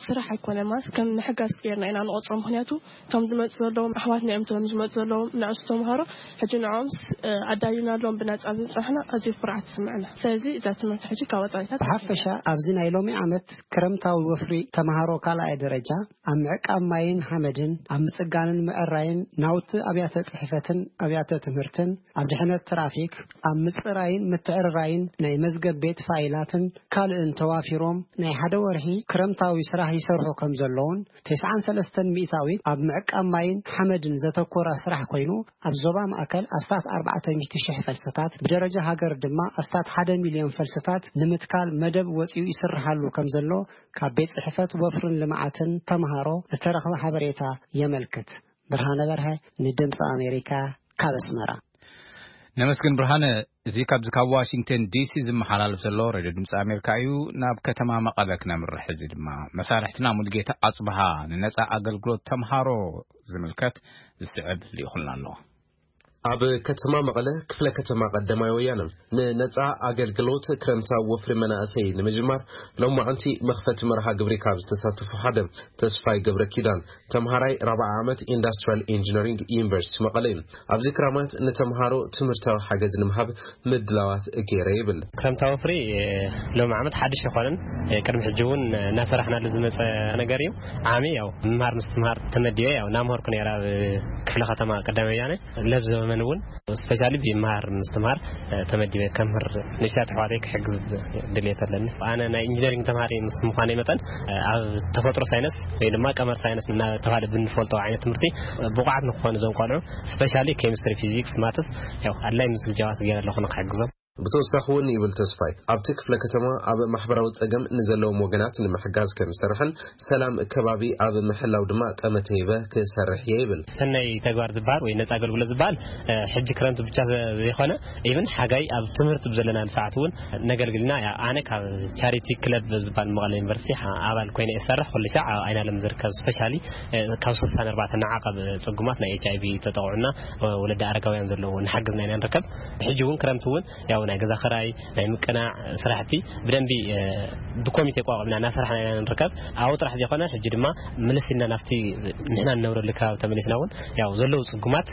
ስራሕ ኣይኮነ ማስ ከም ምሕጋዝ ገይርና ኢና ንቆጽሮ። ምክንያቱ እቶም ዝመፁ ዘለዎም ኣሕዋትና እዮም። እቶም ዝመፁ ዘለዎም ንኣሽቱ ተምሃሮ ሕጂ ንዕኦምስ ኣዳሊና ኣለዎም ብናፃ ዝፅሕና ኣዝዩ ኩርዓት ይስምዐና። ስለዚ እዛ ትምህርቲ ሕጂ ካብ ወፃኢታት ብሓፈሻ ኣብዚ ናይ ሎሚ ዓመት ክረምታዊ ወፍሪ ተምሃሮ ካልኣይ ደረጃ ኣብ ምዕቃብ ማይን ሓመድን ኣብ ምፅጋንን ምዕራይን ናውቲ ኣብያተ ፅሕፈትን ኣብያተ ትምህርትን ኣብ ድሕነት ትራፊክ ኣብ ምፅራይን ምትዕርራይን ናይ መዝገብ ቤት ፋይላትን ካልእን ተዋፊሮም ናይ ሓደ ወርሒ ክረምታዊ ስራሕ ይሰርሑ ከም ዘለውን ተስዓን ሰለስተን ሚእታዊት ኣብ ምዕቃብ ማይን ሓመድን ዘተኮረ ስራሕ ኮይኑ ኣብ ዞባ ማእከል ኣስታት ኣርባዕተ ሚእቲ ሽሕ ፈልስታት ብደረጃ ሃገር ድማ ኣስታት ሓደ ሚልዮን ፈልስታት ንምትካል መደብ ወፂኡ ይስርሓሉ ከም ዘሎ ካብ ቤት ፅሕፈት ወፍርን ልምዓትን ተምሃሮ ዝተረኽበ ሓበሬታ የመልክት። ብርሃነ በርሀ ንድምፂ ኣሜሪካ ካብ ኣስመራ። ነመስግን ብርሃነ። እዚ ካብዚ ካብ ዋሽንግተን ዲሲ ዝመሓላለፍ ዘሎ ሬድዮ ድምፂ ኣሜሪካ እዩ። ናብ ከተማ መቐለ ክነምርሕ። እዚ ድማ መሳርሕትና ሙሉጌታ ኣፅብሃ ንነፃ ኣገልግሎት ተምሃሮ ዝምልከት ዝስዕብ ልኢኹልና ኣሎ። ኣብ ከተማ መቐለ ክፍለ ከተማ ቀዳማይ ወያነ ንነጻ ኣገልግሎት ክረምታዊ ወፍሪ መናእሰይ ንምጅማር ሎማዕንቲ መኽፈቲ መርሃ ግብሪ ካብ ዝተሳተፉ ሓደ ተስፋይ ገብረ ኪዳን ተምሃራይ ራብዓ ዓመት ኢንዳስትሪያል ኢንጂነሪንግ ዩኒቨርሲቲ መቐለ እዩ። ኣብዚ ክራማት ንተምሃሮ ትምህርታዊ ሓገዝ ንምሃብ ምድላዋት ገይረ ይብል። ክረምታዊ ወፍሪ ሎም ዓመት ሓድሽ ይኾንን ቅድሚ ሕጂ እውን እናሰራሕናሉ ዝመፀ ነገር እዩ። ዓሚ ያው ምምሃር ምስትምሃር ተመዲበ ያው እናምሃርኩ ነይረ ኣብ ክፍለ ከተማ ቀዳማይ ወያነ ለብ ዘበመን እውን ስፔሻሊ ብምሃር ምስትምሃር ተመዲበ ከምህር ንእሽተይ ኣሕዋተይ ክሕግዝ ድልየት ኣለኒ። ኣነ ናይ ኢንጂነሪንግ ተምሃሪ ምስ ምዃነይ መጠን ኣብ ተፈጥሮ ሳይንስ ወይ ድማ ቀመር ሳይንስ እናተባሃለ ብንፈልጦ ዓይነት ትምህርቲ ብቑዓት ንክኾኑ እዞም ቆልዑ ስፔሻሊ ኬሚስትሪ ፊዚክስ ማትስ ያው ኣድላይ ምስግጃዋት ገይረ ኣለኹ ንክሕግዞም። ብተወሳኺ እውን ይብል ተስፋይ ኣብቲ ክፍለ ከተማ ኣብ ማሕበራዊ ፀገም ንዘለዎም ወገናት ንምሕጋዝ ከም ዝሰርሕን ሰላም ከባቢ ኣብ ምሕላው ድማ ጠመተ ይበ ክሰርሕ እየ ይብል። ሰናይ ተግባር ዝበሃል ወይ ነፃ ኣገልግሎት ዝበሃል ሕጂ ክረምቲ ብቻ ዘይኮነ ኢብን ሓጋይ ኣብ ትምህርቲ ብዘለናሉ ሰዓት እውን ነገልግልና። ኣነ ካብ ቻሪቲ ክለብ ዝበሃል መቐለ ዩኒቨርሲቲ ኣባል ኮይነ እሰርሕ ኩሉ ሻዕ ኣብ ኣይናለም ዝርከብ ስፔሻሊ ካብ ስሳን ኣርባዕተ ንዓቐብ ፅጉማት ናይ ኤች ኣይቪ ተጠቕዑና ወለዲ ኣረጋውያን ዘለዎ ንሓግዝና ኢና ንርከብ። ሕጂ እውን ክረምቲ እውን ያው ናይ ገዛ ኸራይ ናይ ምቅናዕ ስራሕቲ ብደንቢ ብኮሚቴ ቋቋምና እናሰራሕና ኢና ንርከብ። ኣብኡ ጥራሕ ዘይኮነ ሕጂ ድማ ምልስ ኢልና ናብቲ ንሕና ንነብረሉ ከባቢ ተመሊስና እውን ያው ዘለዉ ፅጉማት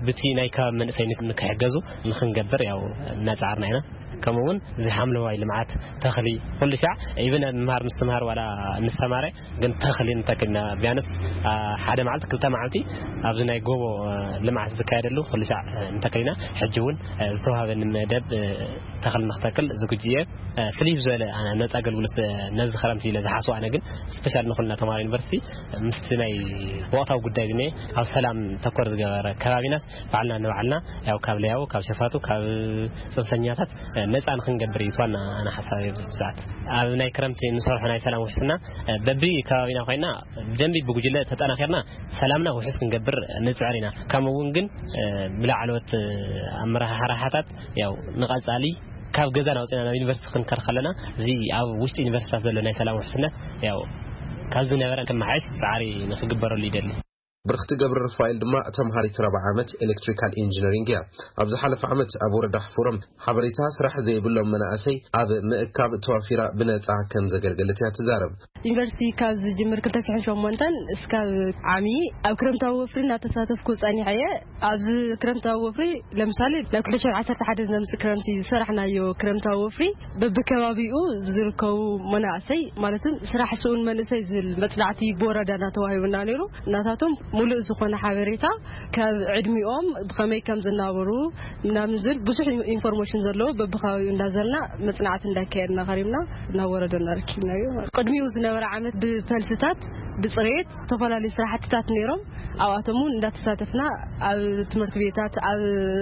ብቲ ናይ ከባቢ መንእሰይ ንክሕገዙ ንክንገብር ያው እናፃዓርና ኢና። ከምኡ እውን እዚ ሓምለዋይ ልምዓት ተኽሊ ኩሉ ሻዕ ኢብን ምምሃር ምስትምሃር ዋላ ንስተማረ ግን ተኽሊ ንተክልና ቢያንስ ሓደ መዓልቲ ክልተ መዓልቲ ኣብዚ ናይ ጎቦ ልምዓት ዝካየደሉ ኩሉ ሻዕ ንተክልና ሕጂ እውን ዝተዋሃበኒ መደብ ተኽሊ ንክተክል ዝግጁ እየ። ፍልይ ዝበለ ነፃ ኣገልግሎት ነዚ ክረምቲ ኢለ ዝሓስቡ ኣነ ግን ስፔሻል ንኩልና ተማሃሮ ዩኒቨርሲቲ ምስቲ ናይ ወቅታዊ ጉዳይ ዝኒ ኣብ ሰላም ተኮር ዝገበረ ከባቢናስ ባዕልና ንባዕልና ያው ካብ ለያቡ ካብ ሸፋቱ ካብ ፅንፈኛታት ነፃ ንክንገብር እዩ ዋና ኣነ ሓሳብ ኣብዚ ሰዓት ኣብ ናይ ክረምቲ ንሰርሖ ናይ ሰላም ውሕስና በቢ ከባቢና ኮይና ብደንቢ ብጉጅለ ተጠናኺርና ሰላምና ውሕስ ክንገብር ንፅዕር ኢና። ከምኡ እውን ግን ብላዕለዎት ኣመራሓሓታት ያው ንቐፃሊ ካብ ገዛ ናውፅና ናብ ዩኒቨርሲቲ ክንከር ከለና እዚ ኣብ ውሽጢ ዩኒቨርሲታት ዘሎ ናይ ሰላም ውሕስነት ያው ካብ ዝነበረ ክመሓየሽ ፃዕሪ ንክግበረሉ ይደሊ። ብርክቲ ገብረ ሩፋኤል ድማ ተምሃሪት ራብዓ ዓመት ኤሌክትሪካል ኢንጂነሪንግ እያ። ኣብ ዝሓለፈ ዓመት ኣብ ወረዳ ሕፉሮም ሓበሬታ ስራሕ ዘይብሎም መናእሰይ ኣብ ምእካብ ተዋፊራ ብነፃ ከም ዘገልገለት እያ ትዛረብ። ዩኒቨርሲቲ ካብ ዝጅምር ክልተ ሽሕን ሸሞንተን እስካብ ዓሚ ኣብ ክረምታዊ ወፍሪ እናተሳተፍኩ ፀኒሐ እየ። ኣብዚ ክረምታዊ ወፍሪ ለምሳሌ ናብ ክልተ ሽሕን ዓሰርተ ሓደ ዝነምፅእ ክረምቲ ዝሰራሕናዮ ክረምታዊ ወፍሪ በብከባቢኡ ዝርከቡ መናእሰይ ማለትም ስራሕ ስኡን መንእሰይ ዝብል መፅናዕቲ ብወረዳና ተዋሂቡና ነይሩ። እናታቶም ሙሉእ ዝኾነ ሓበሬታ ካብ ዕድሚኦም ብኸመይ ከም ዝናበሩ ምናምን ዝብል ብዙሕ ኢንፎርሜሽን ዘለዎ በብከባቢኡ እንዳዘርና መፅናዕቲ እንዳካየድና ከሪምና ናብ ወረዶና ረኪብናዮ። ቅድሚኡ ዝነበረ ዓመት ብፈልስታት ብፅሬት ዝተፈላለዩ ስራሕትታት ነይሮም። ኣብኣቶም እውን እንዳተሳተፍና ኣብ ትምህርቲ ቤታት ኣብ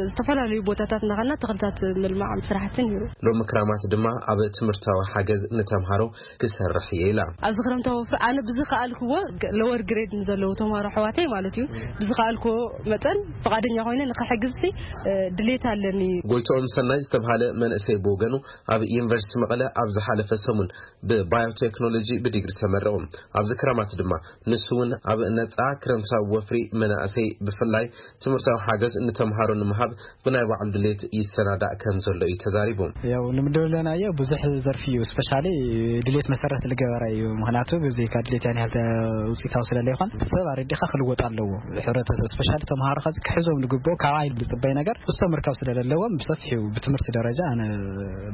ዝተፈላለዩ ቦታታት እናኸና ተኽልታት ምልማዕ ስራሕቲ ነይሩ። ሎሚ ክራማት ድማ ኣብ ትምህርታዊ ሓገዝ ንተምሃሮ ክሰርሕ እየ ኢላ። ኣብዚ ክረምታዊ ወፍሪ ኣነ ብዝኸኣልክዎ ለወር ግሬድ ንዘለዉ ተምሃሮ ኣሕዋተይ ማለት እዩ ብዝኸኣልክዎ መጠን ፍቓደኛ ኮይነ ንክሕግዝ ድሌት ኣለኒ። ጎይትኦም ሰናይ ዝተብሃለ መንእሰይ ብወገኑ ኣብ ዩኒቨርሲቲ መቐለ ኣብ ዝሓለፈ ሰሙን ብባዮቴክኖሎጂ ብዲግሪ ተመረቑ። ኣብዚ ክረማት ድማ ንሱ እውን ኣብ ነፃ ክረምታዊ ወፍሪ መናእሰይ ብፍላይ ትምህርታዊ ሓገዝ ንተምሃሮ ንምሃብ ብናይ ባዕሉ ድሌት ይሰናዳእ ከም ዘሎ እዩ ተዛሪቡ። ያው ንምድለናዮ ብዙሕ ዘርፊ እዩ። ስፔሻሊ ድሌት መሰረት ዝገበረ እዩ። ምክንያቱ ብዘይካ ድሌት ያን ያህል ውፅኢታዊ ስለለይኮን ሰብ ኣረዲኻ ክልወጥ ኣለዎ። ሕብረተሰብ ስፔሻሊ ተምሃሮ ከዚ ክሕዞም ዝግብኦ ካብ ዓይል ዝፅበይ ነገር እሶም ምርካብ ስለለለዎም ብሰፊሑ ብትምህርቲ ደረጃ ኣነ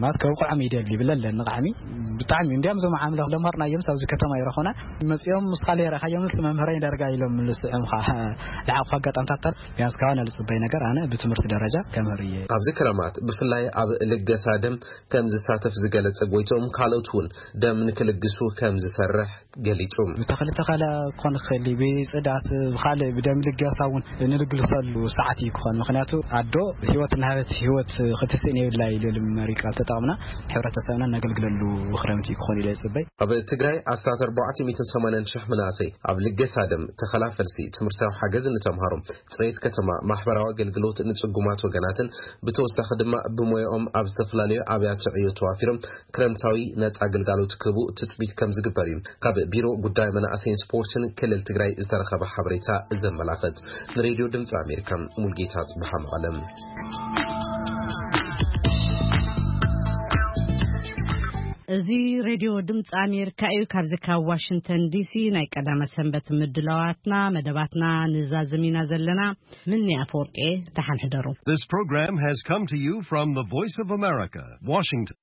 ማለት ከብቅዖም ይደሊ ይብለ ኣለኒ። ቃዕሚ ብጣዕሚ እንዲያም እዞም ዓምለ ለምሃርናዮም ኣብዚ ከተማ ይረኹና መፂኦም ምስካ ሌረካዮም ምስ መምህረይ ዳርጋ ኢሎም ልስዕም ከዓ ልዓቕፉ ኣጋጣምታት ቢያንስ ካባና ልፅበይ ነገር ኣነ ብትምህርቲ ደረጃ ከምህር እየ። ኣብዚ ክረማት ብፍላይ ኣብ ልገሳ ደም ከም ዝሳተፍ ዝገለጸ ጎይቶም ካልኦት እውን ደም ንክልግሱ ከም ዝሰርሕ ገሊጹ። ብተኽሊ ተኸላ ክኾን ይኽእል እዩ፣ ብፅዳት ብካልእ ብደም ልገሳ እውን ንልግሰሉ ሰዓት እዩ ክኾን። ምክንያቱ ኣዶ ህይወት እናሃበት ህይወት ክትስእን የብላ ኢሉ መሪ ቃል ተጠቕምና ሕብረተሰብና ነገልግለሉ ክረምቲ እዩ ክኾን ኢለ ይፅበይ። ኣብ ትግራይ ኣስታት ኣርባዕተ ሚእትን ሰማንያን ሽሕ መናእሰይ ኣብ ልገሳ ደም፣ ተኸላ ፈልሲ፣ ትምህርታዊ ሓገዝ ንተምሃሮ፣ ጽሬት ከተማ፣ ማሕበራዊ ኣገልግሎት ንጽጉማት ወገናትን ብተወሳኺ ድማ ብሞያኦም ኣብ ዝተፈላለዩ ኣብያተ ዕዮ ተዋፊሮም ክረምታዊ ነጻ ግልጋሎት ክህቡ ትጽቢት ከም ዝግበር እዩ ካብ ቢሮ ጉዳይ መናእሰይን ስፖርትን ክልል ትግራይ ዝተረኸበ ሓበሬታ ዘመላኽት። ንሬድዮ ድምፂ ኣሜሪካ ሙልጌታ ጽብሓ መቐለም። እዚ ሬድዮ ድምፂ ኣሜሪካ እዩ። ካብዚ ካብ ዋሽንግተን ዲሲ ናይ ቀዳመ ሰንበት ምድላዋትና መደባትና ንዛዝም ኢና ዘለና። ምኒ ኣፈወርቂ፣ ደሓን ሕደሩ። This program has come to you from the Voice of America, Washington.